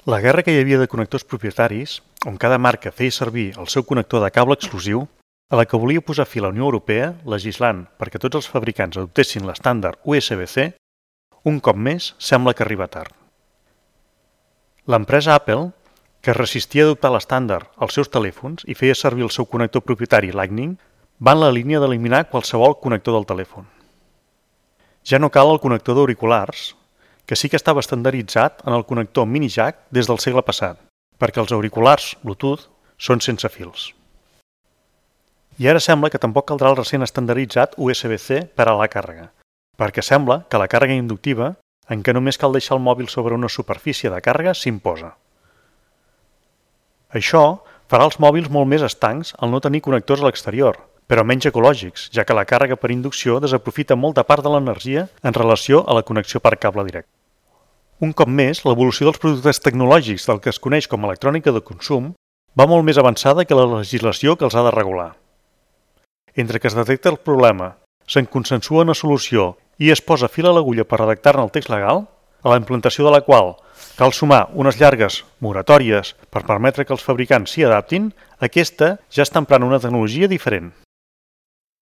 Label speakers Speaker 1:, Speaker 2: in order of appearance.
Speaker 1: La guerra que hi havia de connectors propietaris, on cada marca feia servir el seu connector de cable exclusiu, a la que volia posar fi la Unió Europea, legislant perquè tots els fabricants adoptessin l'estàndard USB-C, un cop més sembla que arriba tard. L'empresa Apple, que es resistia a adoptar l'estàndard als seus telèfons i feia servir el seu connector propietari Lightning, va en la línia d'eliminar qualsevol connector del telèfon. Ja no cal el connector d'auriculars, que sí que estava estandarditzat en el connector mini jack des del segle passat, perquè els auriculars Bluetooth són sense fils. I ara sembla que tampoc caldrà el recent estandarditzat USB-C per a la càrrega, perquè sembla que la càrrega inductiva, en què només cal deixar el mòbil sobre una superfície de càrrega, s'imposa. Això farà els mòbils molt més estancs al no tenir connectors a l'exterior, però menys ecològics, ja que la càrrega per inducció desaprofita molta part de l'energia en relació a la connexió per cable directe. Un cop més, l'evolució dels productes tecnològics del que es coneix com a electrònica de consum va molt més avançada que la legislació que els ha de regular. Entre que es detecta el problema, se'n consensua una solució i es posa fil a l'agulla per redactar-ne el text legal, a la implantació de la qual cal sumar unes llargues moratòries per permetre que els fabricants s'hi adaptin, aquesta ja està emprant una tecnologia diferent.